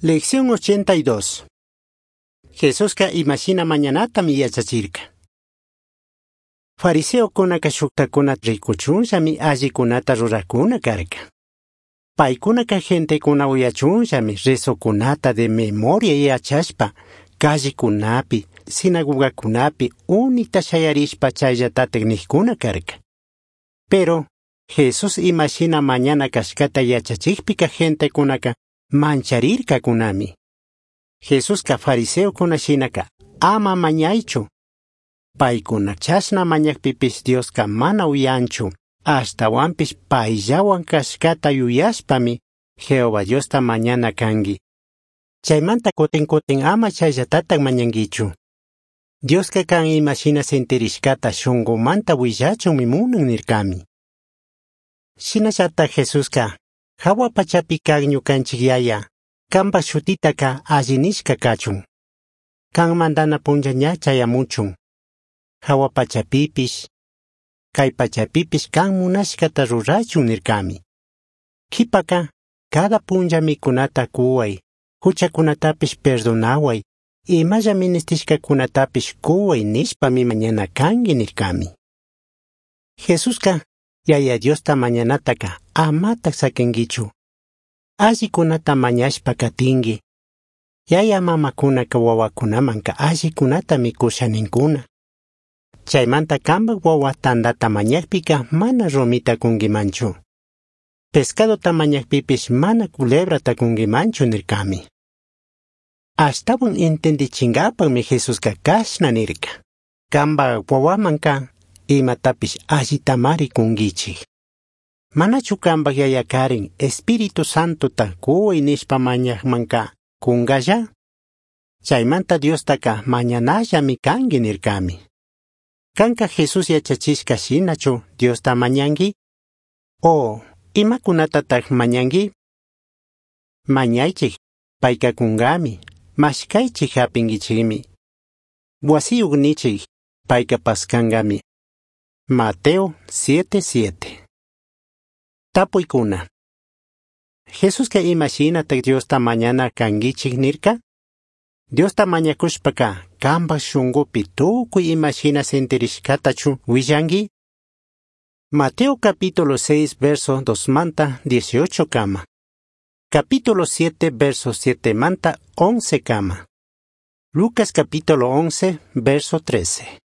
Lección 82. Jesusca imashina mañanatami yachachirca. Fariseocunaca shuktakuna rikuchunllami allikunata rurakuna karka. Paykunaka gentecuna uyachunllami rezokunata de memoria yachashpa callekunapi, sinagogakunapi unita shayarishpa chayllatatik nikkuna karka. Pero Jesús imashina mañana kashkata yachachikpika gentekunaka mancharirkakunami. Jesuska fariseokuna shinaka ama mañaychu. Paykuna chashna mañakpipish Dioska mana uyanchu. Ashtawanpish payllawan kashkata yuyashpami Jehová Diosta mañana kanki. Chaymanta kutin kutin ama chayllatatak mañankichu. Dioska kan imashina sentirishkata shunkumanta willachunmi munan nirkami. Shinallata Jesuska hawa pachapi kak ñukanchik yaya, kanpak shutitaka alli nishka kachun. Kan mandana punlla ña chayamuchun. Hawa pachapipish, kay pachapipish kan munashkata rurachun nirkami. Kipaka, cada punlla mikunata kuway, huchakunatapish perdonaway, imalla ministishkakunatapish kuway nishpami mañana kanki nirkami. Jesuska Yaya Diosta mañanataka amatak sakinkichu. Allikunata mañashpa katinki. Yaya mamakunaka wawakunamanka allikunata mikusha ninkuna. Chaymanta kanpak wawa tantata mañakpika mana rumita kunkimanchu. Pescadota mañakpipish mana culebrata kunkimanchu nirkami. Ashtawan entendichinkapakmi Jesuska kashna nirka. Kanpak wawamanka imatapish allitamari kunkichik. Manachu kanpak yayakarin Espíritu Santota kuway nishpa mañakmanka kunkalla? Chaymanta Diostaka mañanallami kanki nirkami. Kanka Jesús yachachishka shinachu Diosta mañanki? O imakunatatak mañanki? Mañaychik, payka kunkami, mashkaychik hapinkichikmi. Wasiyuq nichik, payka paskankami. Mateo 7:7. Tapuykuna. Jesuska imashinatak Diosta mañana kankichik nirka? Diosta mañakushpaka kanpak shunkupi tukuy imashina sentirishkatachu willanki? Mateo capítulo 6 verso 2 manta 18 kama. Capítulo 7 verso 7 manta 11 kama. Lucas capítulo 11 verso 13.